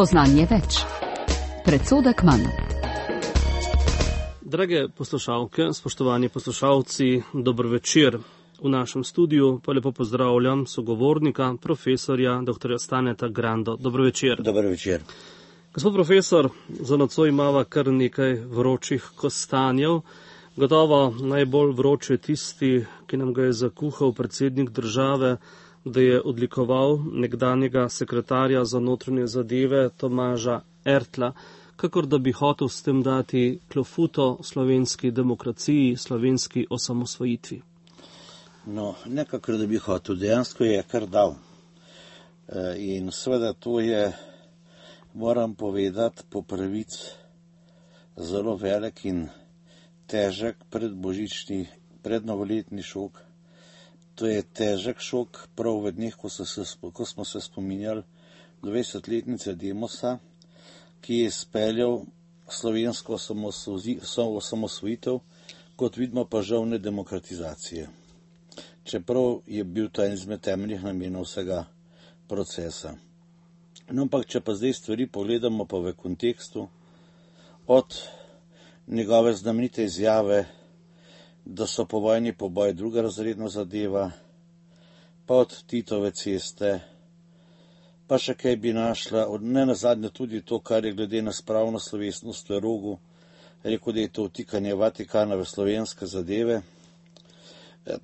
Spoznanje več. Predsodek manj. Drage poslušalke, spoštovani poslušalci, dober večer. V našem studiu pa lepo pozdravljam sogovornika, profesorja dr. Staneta Grando. Dober večer. Dober večer. Gospod profesor, za nocoj imava kar nekaj vročih kostanjev. Gotovo najbolj vroče tisti, ki nam ga je zakuhal predsednik države, da je odlikoval nekdanjega sekretarja za notranje zadeve Tomaža Ertla, kakor da bi hotel s tem dati klofuto slovenski demokraciji, slovenski osamosvojitvi. No, nekako da bi hotel, dejansko je kar dal. In seveda to je, moram povedati, po pravici zelo velik in težek predbožični, prednovoletni šok. To je težek šok prav v dneh, ko smo se spominjali 20-letnice Demosa, ki je izpeljal slovensko osamosvojitev, kot vidimo pa žal ne demokratizacije. Čeprav je bil to en izmed temeljnih namenov vsega procesa. No, ampak če pa zdaj stvari pogledamo pa v kontekstu, od njegove znamenite izjave, da so povojni poboj drugorazredna zadeva, pa od Titove ceste, pa še kaj bi našla, ne nazadnje tudi to, kar je glede na spravno slovesnost v Rogu, rekel, da je to vtikanje Vatikana v slovenske zadeve.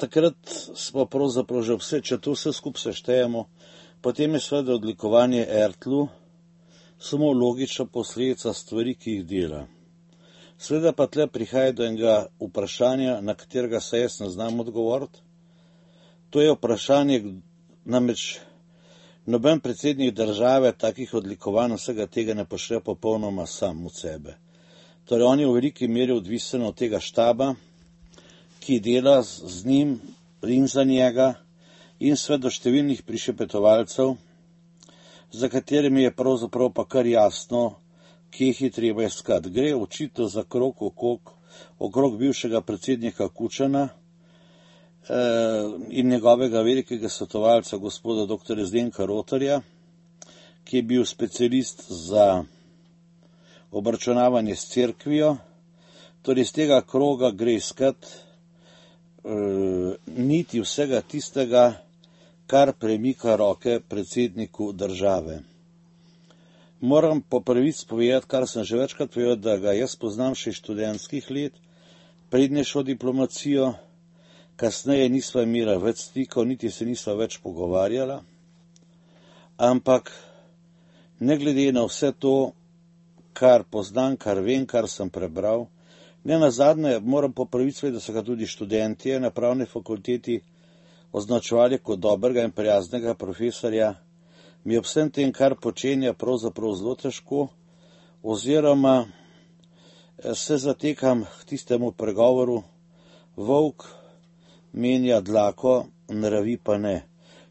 Takrat smo pravzaprav že vse, če to vse skupaj seštejemo, potem je seveda odlikovanje Ertlu samo logična posledica stvari, ki jih dela. Seveda pa tle prihaja do enega vprašanja, na katerega se jaz ne znam odgovoriti. To je vprašanje, namreč noben predsednik države takih odlikovanj vsega tega ne pošlje popolnoma sam od sebe. Torej on je v veliki meri odvisen od tega štaba, ki dela z njim in za njega in seveda številnih prišepetovalcev, za katerimi je pravzaprav pa kar jasno, kje jih je treba iskati. Gre očitno za krog okrog bivšega predsednika Kučana in njegovega velikega svetovalca gospoda dr. Zdenka Rotarja, ki je bil specialist za obračunavanje s cerkvijo. Torej iz tega kroga gre iskati niti vsega tistega, kar premika roke predsedniku države. Moram po pravici povedati, kar sem že večkrat povedal, da ga jaz poznam še iz študentskih let, prednje šel diplomacijo, kasneje nisva imela več stikov, niti se nisva več pogovarjala, ampak ne glede na vse to, kar poznam, kar vem, kar sem prebral, ne nazadnje moram po pravici vedeti, da so ga tudi študentje na pravni fakulteti označevali kot dobrega in prijaznega profesorja. Mi ob vsem tem, kar počenja, pravzaprav zelo težko, oziroma se zatekam k tistemu pregovoru, volk menja dlako, nravi pa ne.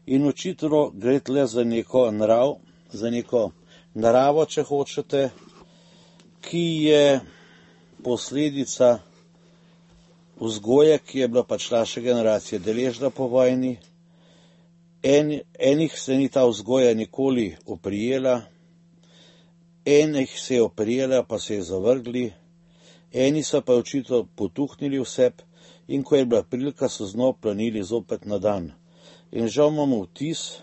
In očitno gre tle za neko naravo, če hočete, ki je posledica vzgoje, ki je bila pač naša generacija deležna po vojni. Enih se ni ta vzgoja nikoli oprijela, enih se je oprijela, pa se je zavrgli, eni so pa očitno potuhnili vse in ko je bila prilika, so znova planili zopet na dan. In žal imamo vtis,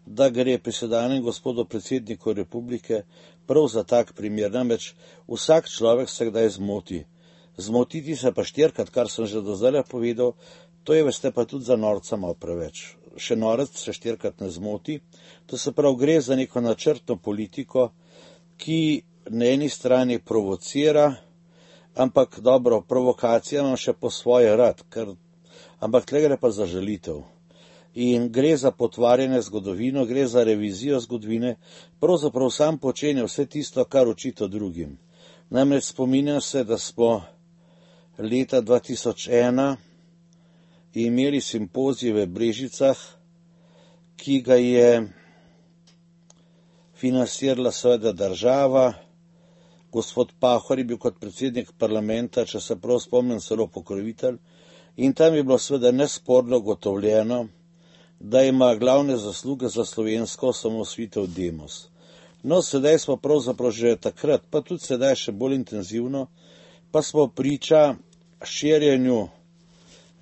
da gre pri sedanjem gospodu predsedniku republike prav za tak primer. Namreč vsak človek se kdaj zmoti. Zmotiti se pa štirikrat, kar sem že do zdaj povedal, to je, veste, pa tudi za norca malo preveč. Še norec se štirikrat ne zmoti. To se prav gre za neko načrtno politiko, ki na eni strani provocira, ampak dobro, provokacija imam še po svoje rad, ampak tle gre pa za žalitev. In gre za potvarjanje zgodovino, gre za revizijo zgodovine, pravzaprav sam počenja vse tisto, kar očita drugim. Namreč spominjam se, da smo leta 2001 imeli simpozij v Brežicah, ki ga je financirala seveda država. Gospod Pahor je bil kot predsednik parlamenta, če se prav spomnim, celo pokrovitelj, in tam je bilo seveda nesporno ugotovljeno, da ima glavne zasluge za slovensko osamosvojitev Demos. No, sedaj smo pravzaprav že takrat, pa tudi sedaj še bolj intenzivno, pa smo priča širjenju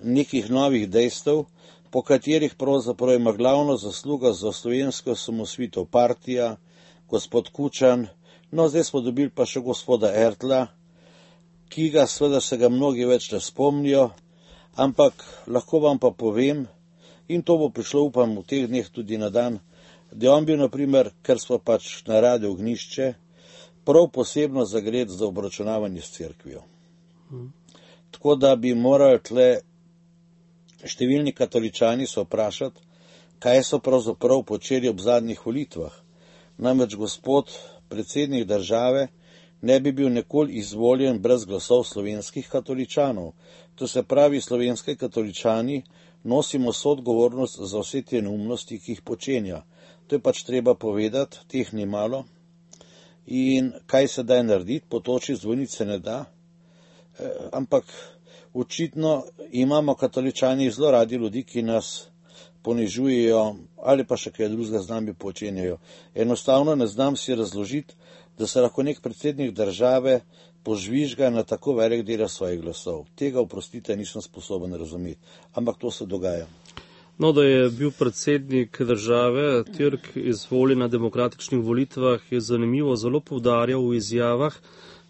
nekih novih dejstev, po katerih pravzaprav ima glavno zasluga za slovensko osamosvojitev partija, gospod Kučan, no zdaj smo dobili pa še gospoda Ertla, ki ga seveda se ga mnogi več ne spomnijo, ampak lahko vam pa povem, in to bo prišlo upam v teh dneh tudi na dan, da je on bil, naprimer, ker smo pač na Radiu Ognjišče, prav posebno zagret za obračunavanje s cerkvijo. Tako da bi morali tle številni katoličani se vprašati, kaj so pravzaprav počeli ob zadnjih volitvah. Namreč gospod predsednik države ne bi bil nikoli izvoljen brez glasov slovenskih katoličanov. To se pravi, slovenski katoličani nosimo soodgovornost za vse te neumnosti, ki jih počenja. To je pač treba povedati, teh ni malo. In kaj se da narediti, potoči zvonice ne da, ampak očitno imamo katoličani zelo radi ljudi, ki nas ponižujejo ali pa še kaj drugega z nami počenjajo. Enostavno ne znam si razložiti, da se lahko nek predsednik države požvižga na tako velik del svojih glasov. Tega, oprostite, nisem sposoben razumeti, ampak to se dogaja. No, da je bil predsednik države Türk izvoljen na demokratičnih volitvah, je zanimivo, zelo poudarjal v izjavah,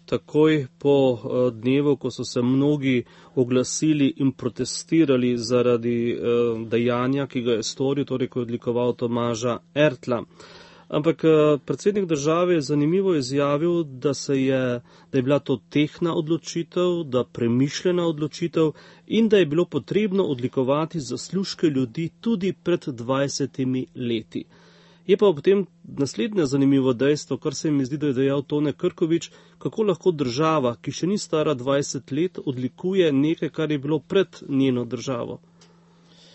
takoj po dnevu, ko so se mnogi oglasili in protestirali zaradi dejanja, ki ga je storil, torej ko je odlikoval Tomaža Ertla. Ampak predsednik države je zanimivo izjavil, da je bila to tehtna odločitev, da premišljena odločitev in da je bilo potrebno odlikovati zaslužke ljudi tudi pred 20 leti. Je pa ob tem naslednje zanimivo dejstvo, kar se mi zdi, da je dejal Tone Krkovič, kako lahko država, ki še ni stara 20 let, odlikuje nekaj, kar je bilo pred njeno državo.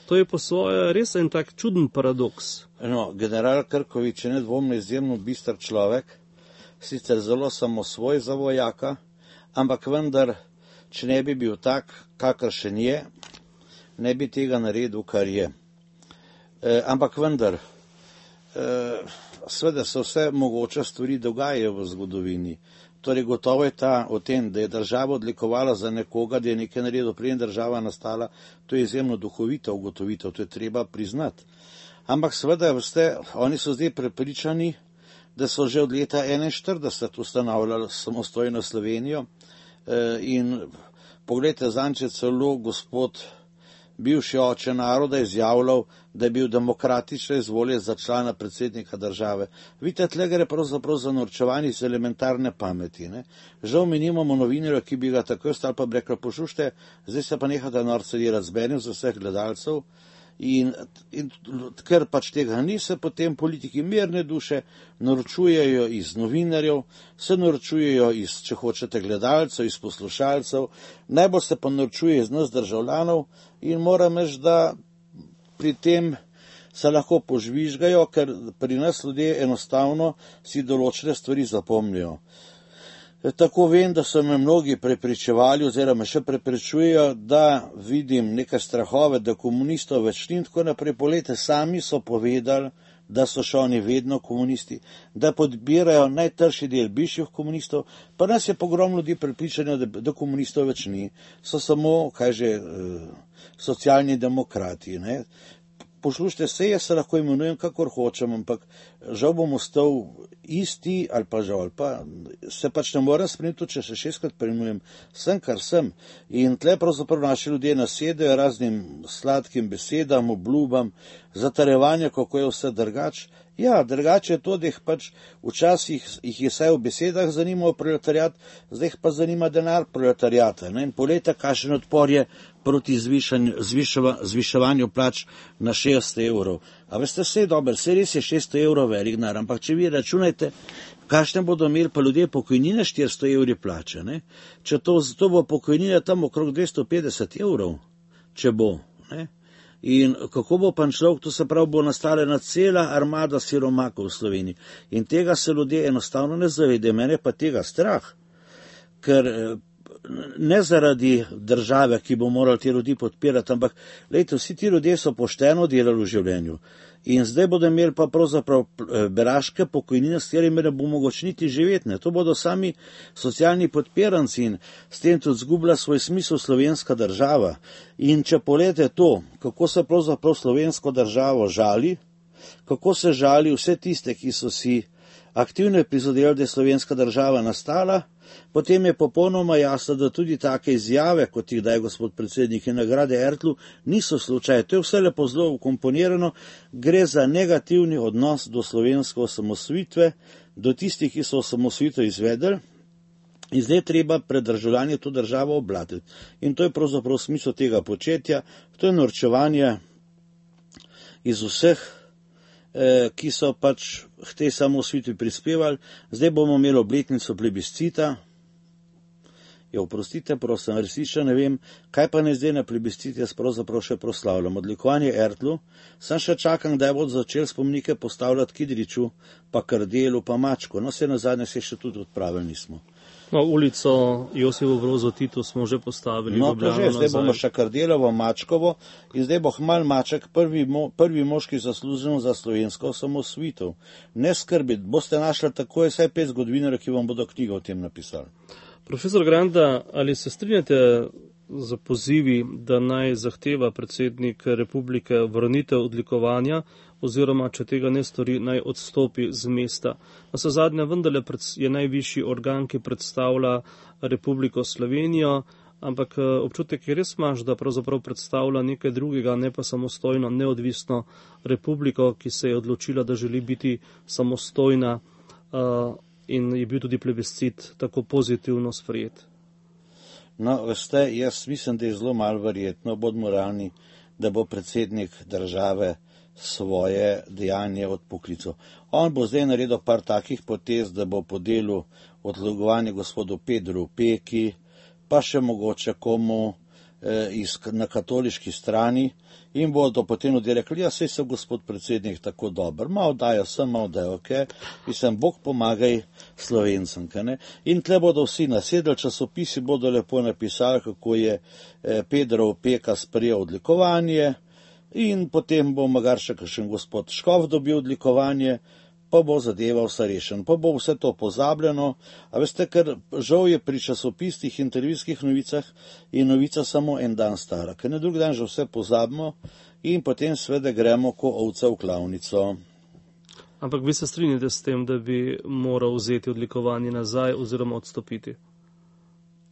To je po svoje res en tak čuden paradoks. No, general Krkovič je nedvomno izjemno bister človek, sicer zelo samosvoj za vojaka, ampak vendar, če ne bi bil tak, kakršen je, ne bi tega naredil, kar je. Ampak vendar, seveda se vse mogoče stvari dogajajo v zgodovini. Torej gotovo je o tem, da je država odlikovala za nekoga, da je nekaj naredil, preden država nastala, to je izjemno duhovita ugotovitev, to je treba priznati. Ampak seveda, oni so zdaj prepričani, da so že od leta 1941 ustanavljali samostojno Slovenijo in pogledajte, zanče celo gospod bivši oče naroda izjavljal, da je bil demokratično izvoljen za člana predsednika države. Vidite, tle gre pravzaprav za norčevanje iz elementarne pameti. Ne? Žal mi nimamo novinarja, ki bi ga takoj stali pa bi rekli, poslušajte, zdaj se pa nehate norce delati z benim za vseh gledalcev. In ker pač tega ni, se potem politiki mirne duše naročujejo iz novinarjev, se naročujejo iz, če hočete, gledalcev, iz poslušalcev, najbolj se pa naročuje iz nas državljanov in moram reči, da pri tem se lahko požvižgajo, ker pri nas ljudje enostavno si določene stvari zapomnijo. Tako vem, da so me mnogi prepričevali oziroma še prepričujejo, da vidim neke strahove, da komunistov več ni in tako naprej. Poglejte, sami so povedali, da so še oni vedno komunisti, da podpirajo najtrši del bivših komunistov, pa nas je pogrom ljudi prepričanja, da komunistov več ni. So samo, socialni demokrati, ne. Poslušajte, se jaz se lahko imenujem, kakor hočem, ampak žal bom ostal isti ali pa žal, ali pa se pač ne morem spremeniti, če se 6-krat preimenujem, sem, kar sem. In tle pravzaprav naši ljudje nasedajo raznim sladkim besedam, obljubam, zatarjevanje, kako je vse drugač. Ja, drugače je to, da jih pač včasih jih je vsaj v besedah zanimal proletariat, zdaj jih pa zanima denar proletariata. In poglejte, kakšen odpor je proti zviševanju plač na 600 evrov. A veste, vse je dobro, vse res je 600 evrov velik denar, ampak če vi računajte, kakšne bodo imeli pa ljudje pokojnine 400 evri plače, ne? Če to bo pokojnina tam okrog 250 evrov, če bo, ne? In kako bo pa človek, to se pravi, bo nastala ena cela armada siromakov v Sloveniji. In tega se ljudje enostavno ne zavedajo, mene pa tega strah, ker ne zaradi države, ki bo morala te ljudi podpirati, ampak lejte, vsi ti ljudje so pošteno delali v življenju. In zdaj bodo imeli pa pravzaprav beraške pokojnine, s katerimi ne bo mogoče niti živeti. Ne. To bodo sami socialni podpiranci in s tem tudi zgubila svoj smisel slovenska država. In če pogledate to, kako se pravzaprav slovensko državo žali, kako se žali vse tiste, ki so si aktivno prizadevali, da je slovenska država nastala, potem je popolnoma jasno, da tudi take izjave, kot jih daje gospod predsednik in nagrade Ertlu, niso slučaj. To je vse lepo zelo ukomponirano, gre za negativni odnos do slovenske osamosvojitve, do tistih, ki so osamosvojitev izvedeli, in zdaj treba pred državljani to državo oblatiti. In to je pravzaprav smisel tega početja, to je norčevanje iz vseh, ki so pač k tej samosvojitvi prispevali. Zdaj bomo imeli obletnico plebiscita. Ja, oprostite, prosim, resnično ne vem, kaj pa ne zdaj na plebiscit jaz pravzaprav še proslavljam. Odlikovanje Ertlu, sem še čakam, da bodo začeli spomenike postavljati Kidriču, pa Kardelu, pa Mačku. No, se nazadnje se še tudi odpravili nismo. No, ulico Josipo Brozo Tito smo že postavili. No, to že, zdaj bomo še Kardelovo, Mačkovo in zdaj bo Hmal Maček prvi moški zaslužen za slovensko osamosvojitev. Ne skrbite, boste našli takoj vsaj 5 zgodovinarjev, ki vam bodo knjigo o tem napisali. Profesor Granda, ali se strinjate z pozivi, da naj zahteva predsednik republike vrnitev odlikovanja, oziroma če tega ne stori, naj odstopi z mesta? Navsezadnje vendarle je najvišji organ, ki predstavlja Republiko Slovenijo, ampak občutek je res imaš, da pravzaprav predstavlja nekaj drugega, ne pa samostojno, neodvisno republiko, ki se je odločila, da želi biti samostojna, in je bil tudi plebiscit tako pozitivno sprejet. No, veste, jaz mislim, da je zelo malo verjetno, bodimo realni, da bo predsednik države svoje dejanje odpoklical. On bo zdaj naredil par takih potez, da bo podelil odlikovanje gospodu Pedru Peki, pa še mogoče komu na katoliški strani, in bodo potem rekli, ja, sej se gospod predsednik tako dober, malo dajo sem, malo dajo, mislim, Bog pomagaj Slovencem, ne? In tle bodo vsi nasedli, časopisi bodo lepo napisali, kako je Pedro Peka sprejel odlikovanje, in potem bo magar še kakšen gospod Škof dobil odlikovanje, pa bo zadeva vse rešen, pa bo vse to pozabljeno. A veste, ker žal je pri časopisnih intervjujskih novicah in novica samo en dan stara, ker na drugi dan že vse pozabimo in potem sveda gremo ko ovca v klavnico. Ampak vi se strinjate s tem, da bi moral vzeti odlikovanje nazaj oziroma odstopiti?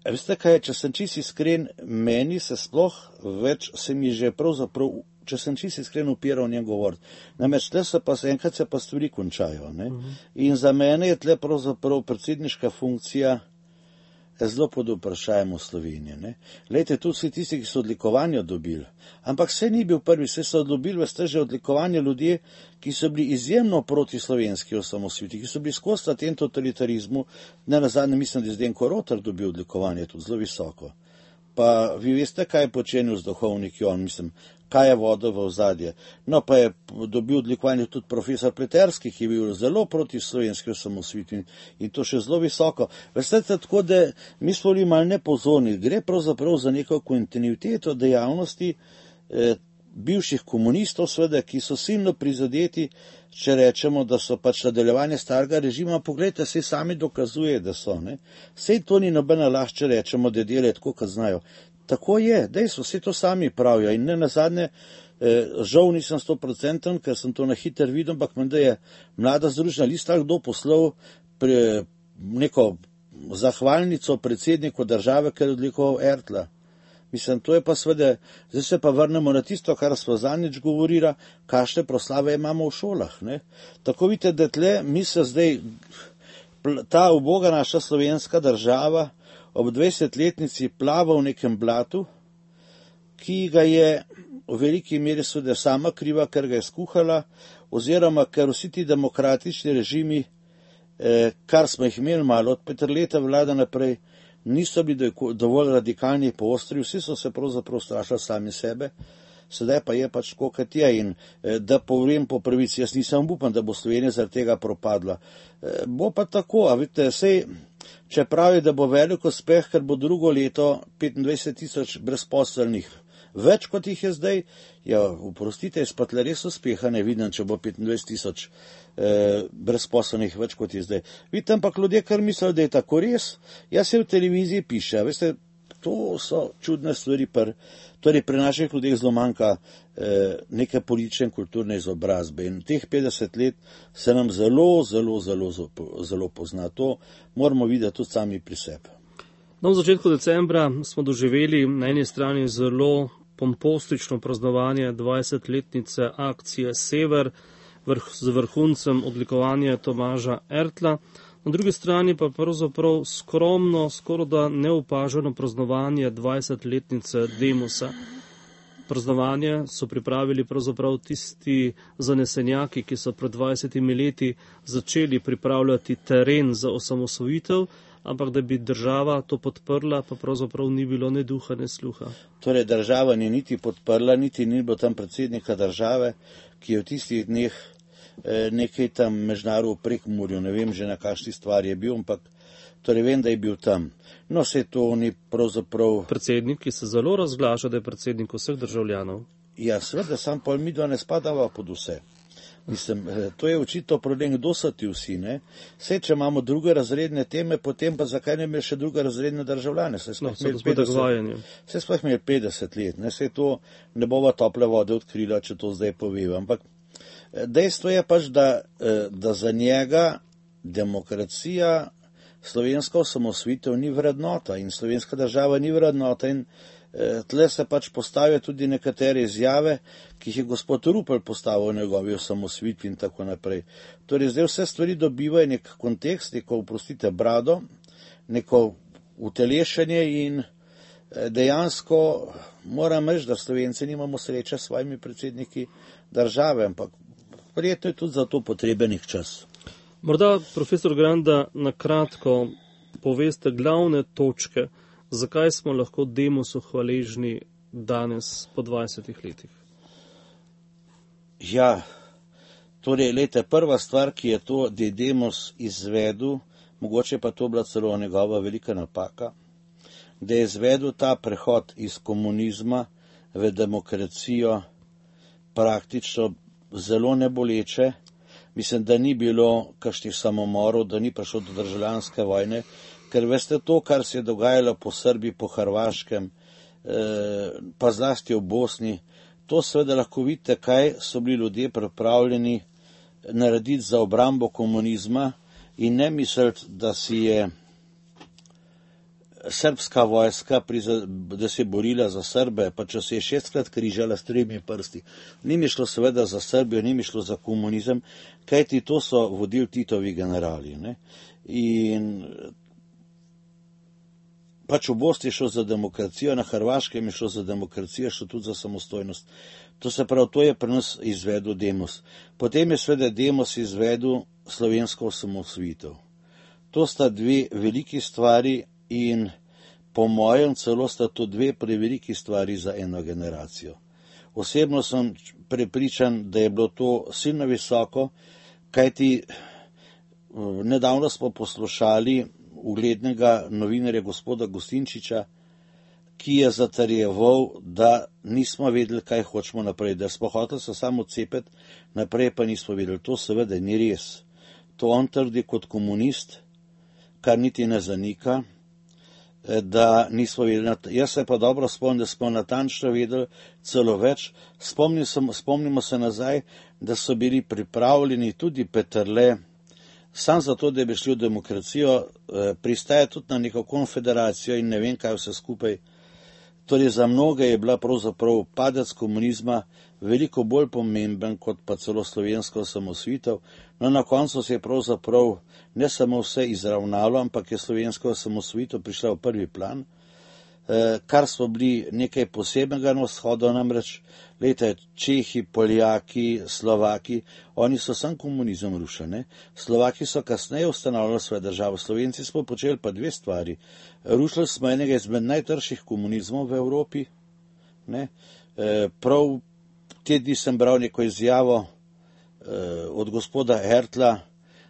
A veste kaj, če sem čisto iskren, meni se sploh več, se mi že pravzaprav, če sem čisto iskren, upira o njem govoriti. Namreč tle se pa enkrat se pa stvari končajo. Ne? In za mene je tle pravzaprav predsedniška funkcija zelo pod vprašajem v Sloveniji. Ne? Glejte, tu vsi tisti, ki so odlikovanja dobili, ampak vse ni bil prvi, vse so dobili, veste, že odlikovanje ljudje, ki so bili izjemno proti slovenski osamosvojitvi, ki so bili skozi tem totalitarizmu, ne nazadnje mislim, da je Zdenko Rotar dobil odlikovanje tudi zelo visoko. Pa vi veste, kaj je počenil z duhovniki on, mislim, kaj je vodil v ozadje. No, pa je dobil odlikovanje tudi profesor Pleterski, ki je bil zelo proti slovenski osamosvojitvi in to še zelo visoko. Veste, tako da mi smo bili malo nepozorni, gre pravzaprav za neko kontinuiteto dejavnosti bivših komunistov, sveda, ki so silno prizadeti, če rečemo, da so pač nadaljevanje starega režima. Poglejte, se sami dokazuje, da so. Ne? Sej to ni nobena laž, če rečemo, da delajo tako, kot znajo. Tako je, dejstvo, vse to sami pravijo in ne nazadnje, žal nisem 100%, ker sem to na hiter videl, ampak menda je Mlada združena lista kdo poslal neko zahvalnico predsedniku države, ker je odlikoval Ertla. Mislim, to je pa sveda, zdaj se pa vrnemo na tisto, kar smo zadnjič govorila, kakšne proslave imamo v šolah. Ne? Tako vidite, da tle mi se zdaj, ta uboga naša slovenska država ob 20-letnici plava v nekem blatu, ki ga je v veliki meri sveda sama kriva, ker ga je skuhala, oziroma ker vsi ti demokratični režimi, kar smo jih imeli malo od Peterleta vlada naprej, niso bili dovolj radikalni po ostri, vsi so se pravzaprav strašili sami sebe, sedaj pa je pač tako, kot je. In da povem po pravici, jaz nisem upan, da bo Slovenija zaradi tega propadla. Bo pa tako, a vidite, sej, če pravi, da bo velik uspeh, ker bo drugo leto 25 000 brezposelnih več kot jih je zdaj, ja, oprostite, jaz pa tle res uspeha ne vidim, če bo 25 000 brezposelnih več kot je zdaj. Vidite, ampak ljudje kar mislijo, da je tako res, jaz se v televiziji piše, veste, to so čudne stvari, torej pri naših ljudeh zelo manjka neke politične in kulturne izobrazbe in teh 50 let se nam zelo pozna. To moramo videti tudi sami pri sebi. No, v začetku decembra smo doživeli na eni strani zelo pompostično praznovanje 20-letnice akcije Sever z vrhuncem odlikovanja Tomaža Ertla, na drugi strani pa pravzaprav skromno, skoraj da neopaženo praznovanje 20-letnice Demosa. Praznovanje so pripravili pravzaprav tisti zanesenjaki, ki so pred 20 leti začeli pripravljati teren za osamosvojitev, ampak da bi država to podprla, pa pravzaprav ni bilo ne duha, ne sluha. Torej država ni niti podprla, niti ni bilo tam predsednika države, ki je v tistih dneh nekaj tam mežnarov v Prekmurju, ne vem že na kakšni stvari je bil, ampak torej vem, da je bil tam. No, se to ni pravzaprav... Predsednik, ki se zelo razglaša, da je predsednik vseh državljanov. Ja, seveda, sam pol midva ne spadava pod vse. Mislim, to je očitno problem, kdo so ti vsi, ne? Saj, če imamo drugorazredne teme, potem pa zakaj ne imeli še drugorazredne državljane? Saj smo imeli 50 let, ne? Saj to ne bova tople vode odkrila, če to zdaj povem. Ampak dejstvo je pač, da za njega demokracija, slovenska osamosvojitev ni vrednota in slovenska država ni vrednota in tle se pač postavijo tudi nekatere izjave, ki jih je gospod Rupel postavil v njegovi osamosvojitvi in tako naprej. Torej zdaj vse stvari dobivajo nek kontekst, neko, oprostite, brado, neko utelešenje in dejansko moram reči, da Slovenci nimamo sreče s svojimi predsedniki države, ampak verjetno je tudi za to potreben čas. Morda, profesor Granda, na kratko poveste glavne točke, zakaj smo lahko Demosu hvaležni danes po 20 letih? Ja, torej, lejte, prva stvar, ki je to, da je Demos izvedel, mogoče pa to bila celo njegova velika napaka, da je izvedel ta prehod iz komunizma v demokracijo praktično zelo neboleče. Mislim, da ni bilo kakšnih samomorov, da ni prišlo do državljanske vojne, ker veste to, kar se je dogajalo po Srbiji, po Hrvaškem, pa zlasti v Bosni, to seveda lahko vidite, kaj so bili ljudje pripravljeni narediti za obrambo komunizma in ne misliti, da si je srbska vojska, da se je borila za Srbe, pa če se je 6-krat križala s 3 prsti. Ni mi šlo seveda za Srbijo, ni mi šlo za komunizem, kajti to so vodili Titovi generali. Ne? In pač v Bosni je šlo za demokracijo, na Hrvaškem je šlo za demokracijo, šlo tudi za samostojnost. To se pravi, to je pri nas izvedel Demos. Potem je seveda Demos izvedel slovensko osamosvojitev. To sta dve veliki stvari in po mojem celo sta to dve preveliki stvari za eno generacijo. Osebno sem prepričan, da je bilo to silno visoko, kajti nedavno smo poslušali uglednega novinarja gospoda Gustinčiča, ki je zatrjeval, da nismo vedeli, kaj hočemo naprej, da smo hoteli se samo odcepiti, naprej pa nismo vedeli. To seveda ni res. To on trdi kot komunist, kar niti ne zanika, da nismo vedeli. Jaz se pa dobro spomnim, da smo natančno vedeli celo več. Spomnimo se nazaj, da so bili pripravljeni tudi Peterle, sam zato, da bi šli v demokracijo, pristaja tudi na neko konfederacijo in ne vem kaj vse skupaj. Torej za mnoge je bila pravzaprav padec komunizma veliko bolj pomemben kot pa celo slovensko osamosvojitev. No, na koncu se je pravzaprav ne samo vse izravnalo, ampak je slovenska osamosvojitev prišla v prvi plan, kar smo bili nekaj posebnega na vzhodu, namreč, lejte, Čehi, Poljaki, Slovaki, oni so sam komunizem rušili. Slovaki so kasneje ustanovili svojo državo, Slovenci smo počeli pa dve stvari. Rušili smo enega izmed najtrših komunizmov v Evropi. Ne? Prav te dni sem bral neko izjavo od gospoda Ertla,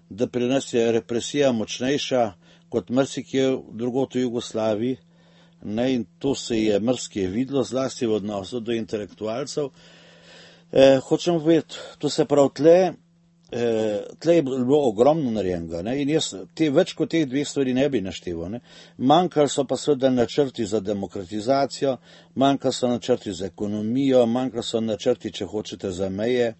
da pri nas je represija močnejša kot marsikje drugod v Jugoslaviji. ne, in to se je mrske videlo, zlasti v odnosu do intelektualcev. Hočem povedati, to se pravi, tle je bilo ogromno narejenega, ne, in jaz več kot teh dveh stvari ne bi našteval. Ne. Manjkali so pa seveda načrti za demokratizacijo, manjkali so načrti za ekonomijo, manjkali so načrti, če hočete, za meje,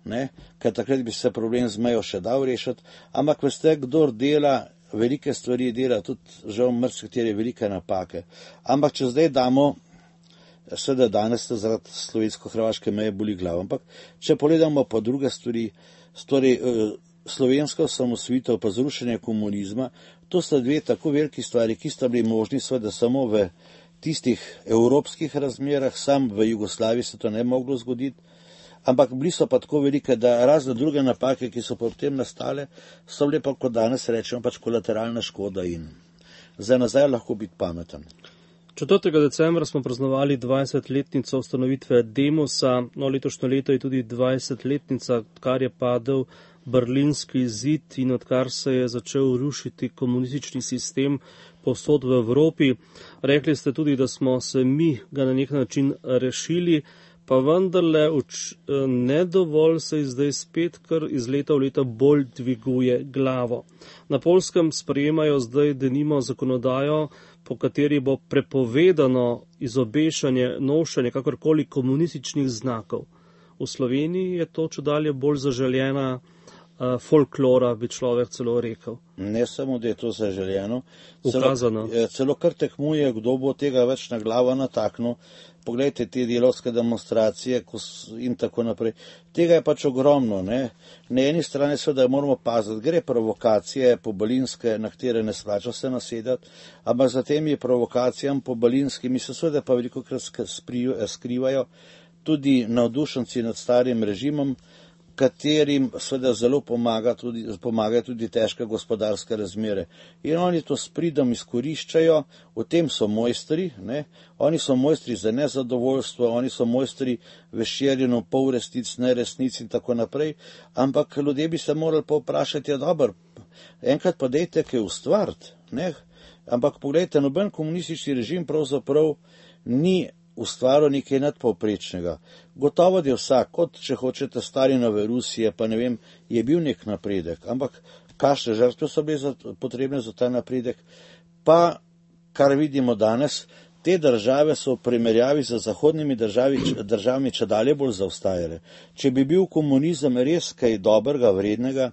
ne, ker takrat bi se problem z mejo še dal rešiti, ampak veste, kdor dela velike stvari, dela tudi žal marsikateri velike napake. Ampak če zdaj damo, seveda danes te zaradi slovensko-hrvaške meje boli glava, ampak če pogledamo pa druge stvari, torej slovenska osamosvojitev pa zrušenje komunizma, to sta dve tako veliki stvari, ki sta bili možni seveda samo v tistih evropskih razmerah, sam v Jugoslaviji se to ne moglo zgoditi, ampak bili so pa tako velike, da razne druge napake, ki so potem nastale, so bile pa, kot danes rečemo, pač kolateralna škoda in za nazaj lahko biti pameten. 4. decembra smo praznovali 20-letnico ustanovitve Demosa, letošnje leto je tudi 20-letnica, odkar je padel Berlinski zid in odkar se je začel rušiti komunistični sistem povsod v Evropi. Rekli ste tudi, da smo se mi ga na nek način rešili, pa vendarle ne dovolj se zdaj spet, kar iz leta v leto bolj dviguje glavo. Na Poljskem sprejemajo zdaj denimo zakonodajo, po kateri bo prepovedano izobešanje, nošenje kakorkoli komunističnih znakov. V Sloveniji je to čedalje bolj zaželjena folklora, bi človek celo rekel. Ne samo, da je to zaželjeno, celo kar tekmuje, kdo bo tega več na glavo nataknil. Poglejte te delovske demonstracije in tako naprej. Tega je pač ogromno. Ne? Na eni strani seveda moramo paziti, gre provokacije pobalinske, na katere ne splača se nasedati, ampak za temi provokacijami pobalinskimi se seveda pa veliko krat skrivajo tudi navdušenci nad starim režimom, katerim seveda zelo pomagajo tudi težke gospodarske razmere. In oni to s pridom izkoriščajo, v tem so mojstri, ne? Oni so mojstri za nezadovoljstvo, oni so mojstri v širjenju polresnic, neresnic in tako naprej, ampak ljudje bi se morali pa vprašati, dobro, enkrat pa dejte kaj ustvariti, ne? Ampak pogledajte, noben komunistični režim pravzaprav ni ustvaril nekaj nadpovprečnega. Gotovo je vsak, kot če hočete Stalinove Rusije, pa ne vem, je bil nek napredek, ampak kakšne žrtve so bile potrebne za ta napredek, pa kar vidimo danes, te države so v primerjavi z zahodnimi državami čedalje bolj zaostajale. Če bi bil komunizem res kaj dobrega, vrednega,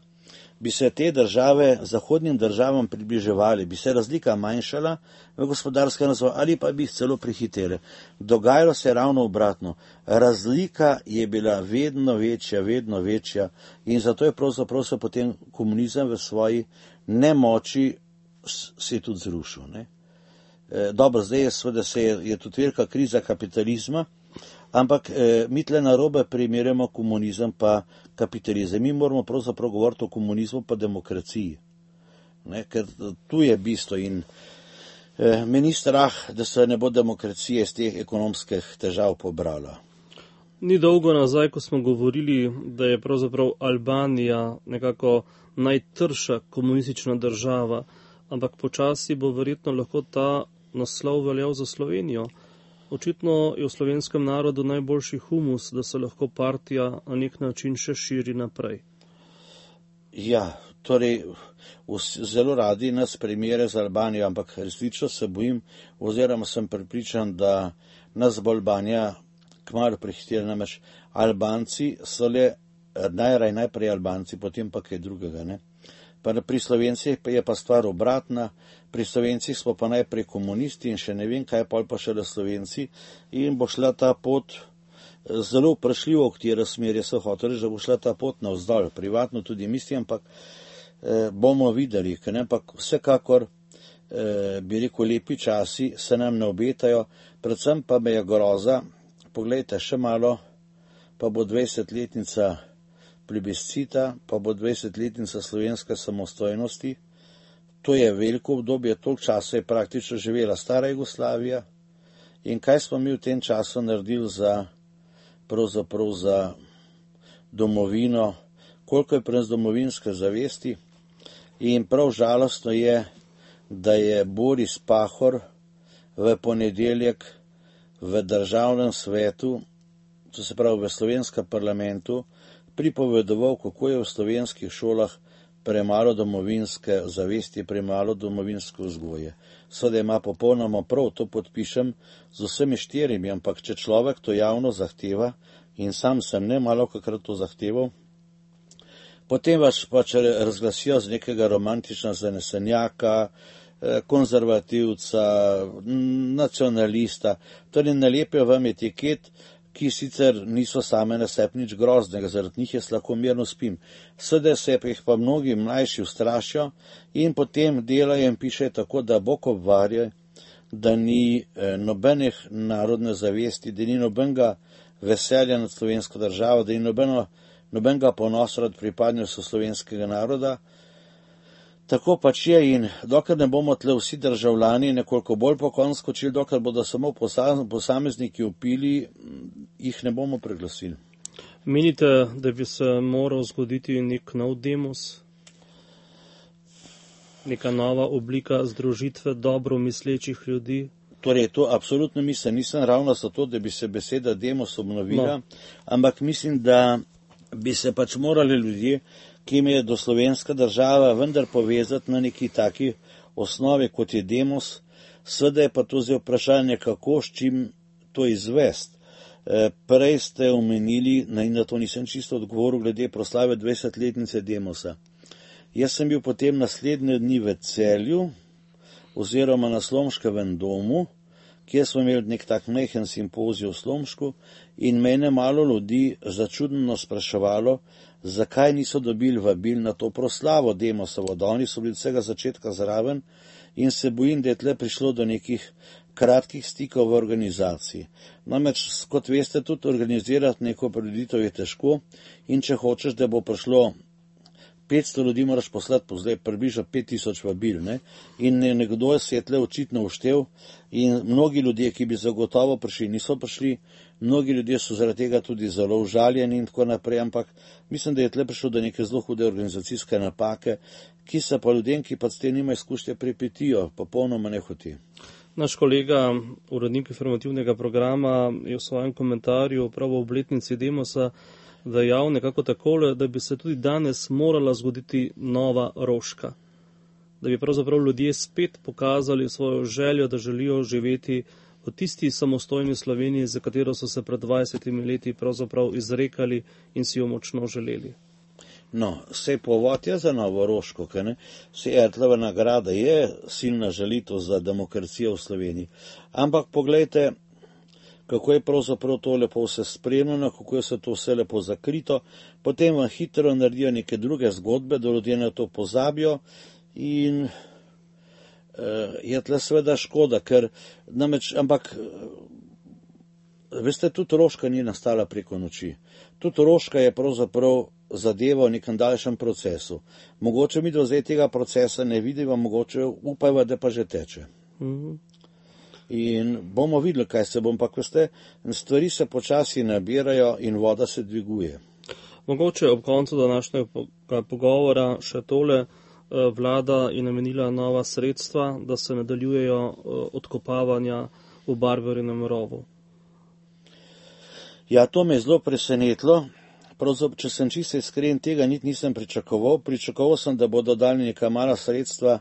bi se te države zahodnim državam približevali, bi se razlika manjšala v gospodarskem razvoju ali pa bi jih celo prehitele. Dogajalo se je ravno obratno. Razlika je bila vedno večja in zato je pravzaprav se potem komunizem v svoji nemoči se tudi zrušil. Ne? Dobro, zdaj je tudi velika kriza kapitalizma, ampak mi tle narobe primerjamo komunizem pa kapitalizem. Mi moramo pravzaprav govoriti o komunizmu pa demokraciji, ne? Ker tu je bistvo in me ni strah, da se ne bo demokracija iz teh ekonomskih težav pobrala. Ni dolgo nazaj, ko smo govorili, da je pravzaprav Albanija nekako najtrša komunistična država, ampak počasi bo verjetno lahko ta naslov veljal za Slovenijo. Očitno je v slovenskem narodu najboljši humus, da se lahko partija na nek način še širi naprej. Ja, torej zelo radi nas primere za Albanijo, ampak resnično se bojim oziroma sem prepričan, da nas bo Albanija kmalu prehitela, namreč Albanci so le najprej Albanci, potem pa kaj drugega, ne. Pa pri Slovencih je pa stvar obratna, pri Slovencih smo pa najprej komunisti in še ne vem kaj, pol pa šele Slovenci in bo šla ta pot zelo vprašljivo, v katero smer je se hotel reči, da bo šla ta pot navzdol, privatno tudi mislim, ampak bomo videli, ker ne, ampak vsekakor bi rekel, lepi časi se nam ne obetajo, predvsem pa me je groza, poglejte, še malo, pa bo 20-letnica plebiscita, pa bo 20-letnica slovenske samostojnosti. To je veliko obdobje, toliko časa je praktično živela stara Jugoslavija. In kaj smo mi v tem času naredili pravzaprav za domovino, koliko je pri nas domovinske zavesti. In prav žalostno je, da je Boris Pahor v ponedeljek v državnem svetu, to se pravi v slovenskem parlamentu, pripovedoval, kako je v slovenskih šolah premalo domovinske zavesti, premalo domovinske vzgoje. Seveda ima popolnoma prav, to podpišem z vsemi 4, ampak če človek to javno zahteva, in sam sem ne malokrat to zahteval, potem vas pač razglasijo z nekega romantična zanesenjaka, konzervativca, nacionalista, torej nalepijo vam etiket, ki sicer niso same na sebi nič groznega, zaradi njih jaz lahko mirno spim. Seveda se jih pa mnogi mlajši ustrašijo in potem delajo in pišejo tako, da Bog obvarja, da ni nobenih narodne zavesti, da ni nobenega veselja nad slovensko državo, da ni nobenega ponosa nad pripadnostjo slovenskega naroda. Tako pač je in dokler ne bomo tle vsi državljani nekoliko bolj pokonsko skočili, dokler bodo samo posamezniki upili, jih ne bomo preglasili. Menite, da bi se moral zgoditi nek nov demos? Neka nova oblika združitve dobro mislečih ljudi? Torej, to absolutno mislim, nisem ravno zato, da bi se beseda demos obnovila, ampak mislim, da bi se pač morali ljudje, ki jim je do slovenska država vendar povezati na neki taki osnovi, kot je demos, seveda je pa to zdaj vprašanje, kako, s čim to izvest. Prej ste omenili, in na to nisem čisto odgovoril, glede proslave 20-letnice demosa. Jaz sem bil potem naslednje dni v Celju, oziroma na Slomškovem domu, kjer smo imeli nek tak majhen simpozij v Slomšku in mene malo ljudi začudno spraševalo, zakaj niso dobili vabil na to proslavo Demosovo, da oni so bili od vsega začetka zraven in se bojim, da je tle prišlo do nekih kratkih stikov v organizaciji. Namreč, kot veste, tudi organizirati neko prireditev je težko in če hočeš, da bo prišlo 500 ljudi, moraš poslati zdaj približno 5000 vabil, ne? In nekdo se je tle očitno uštev in mnogi ljudje, ki bi zagotovo prišli, niso prišli, mnogi ljudje so zaradi tega tudi zelo užaljeni in tako naprej, ampak mislim, da je tle prišlo do neke zelo hude organizacijske napake, ki se pa ljudem, ki pa s tem nima izkušnje, pripetijo, popolnoma nehoti. Naš kolega, urednik informativnega programa, je v svojem komentarju prav v obletnici Demosa dejal nekako takole, da bi se tudi danes morala zgoditi nova Roška. Da bi pravzaprav ljudje spet pokazali svojo željo, da želijo živeti v tisti samostojni Sloveniji, za katero so se pred 20 leti pravzaprav izrekali in si jo močno želeli. No, sej povod je za novo Roško, sej Ertlova nagrada je silna želitev za demokracijo v Sloveniji. Ampak poglejte, kako je pravzaprav to lepo vse spremljeno, kako je se to vse lepo zakrito, potem vam hitro naredijo neke druge zgodbe, da ljudje na to pozabijo in je tle seveda škoda, ker namreč, ampak veste, tudi Roška ni nastala preko noči. Tudi Roška je pravzaprav zadeva v nekem daljšem procesu. Mogoče mi do zdaj tega procesa ne vidimo, mogoče upajva, da pa že teče. In bomo videli, kaj se bom, pa veste, stvari se počasi nabirajo in voda se dviguje. Mogoče ob koncu današnjega pogovora še tole. Vlada je namenila nova sredstva, da se nadaljujejo odkopavanja v Barberinem rovu. Ja, to me je zelo presenetilo. Pravzaprav, če sem čisto iskren, tega nisem pričakoval. Pričakoval sem, da bodo dali neka mala sredstva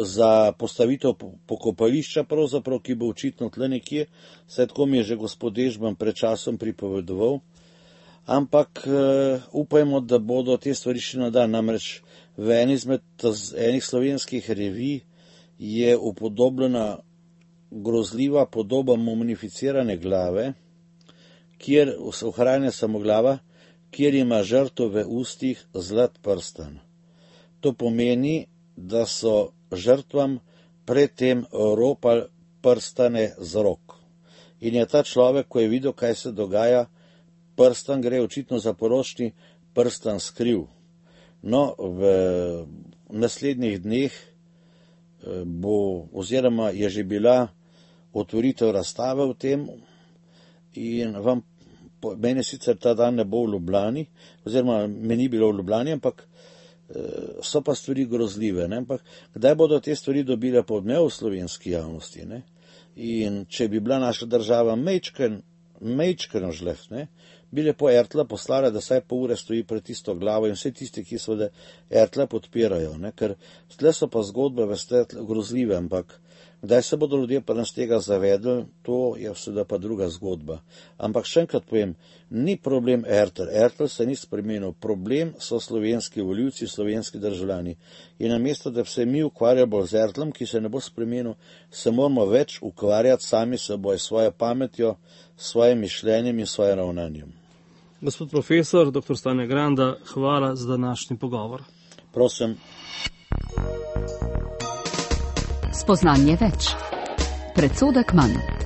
za postavitev pokopališča, pravzaprav, ki bo očitno tle nekje, saj tako mi je že gospod Dežman pred časom pripovedoval. Ampak upajmo, da bodo te stvari še nadalje. Namreč v enih slovenskih revij je upodobljena grozljiva podoba mumificirane glave, kjer se ohranja samo glava, kjer ima žrtev v ustih zlat prstan. To pomeni, da so žrtvam predtem ropali prstane z rok. In je ta človek, ko je videl, kaj se dogaja, prstan gre očitno za poročni prstan skriv. No, v naslednjih dneh bo, oziroma je že bila otvoritev razstave v tem in meni sicer ta dan ne bo v Ljubljani, oziroma me ni bilo v Ljubljani, ampak so pa stvari grozljive, ne? Ampak kdaj bodo te stvari dobile podmev v slovenski javnosti, ne? In če bi bila naša država mejčken žlef, ne? Bi lepo Ertla poslala, da saj pol ure stoji pred tisto glavo in vse tisti, ki seveda Ertla podpirajo, ne? Ker tle so pa zgodbe, veste, grozljive, ampak kdaj se bodo ljudje pa nas tega zavedli, to je seveda pa druga zgodba. Ampak še enkrat povem, ni problem Ertl se ni spremenil, problem so slovenski volivci, slovenski državljani. In namesto, da bi se mi ukvarjali bolj z Ertlom, ki se ne bo spremenil, se moramo več ukvarjati sami seboj, svojo pametjo, svojim mišljenjem in svojim ravnanjem. Gospod profesor, dr. Stane Granda, hvala za današnji pogovor. Prosim. Spoznanje več. Predsodek manj.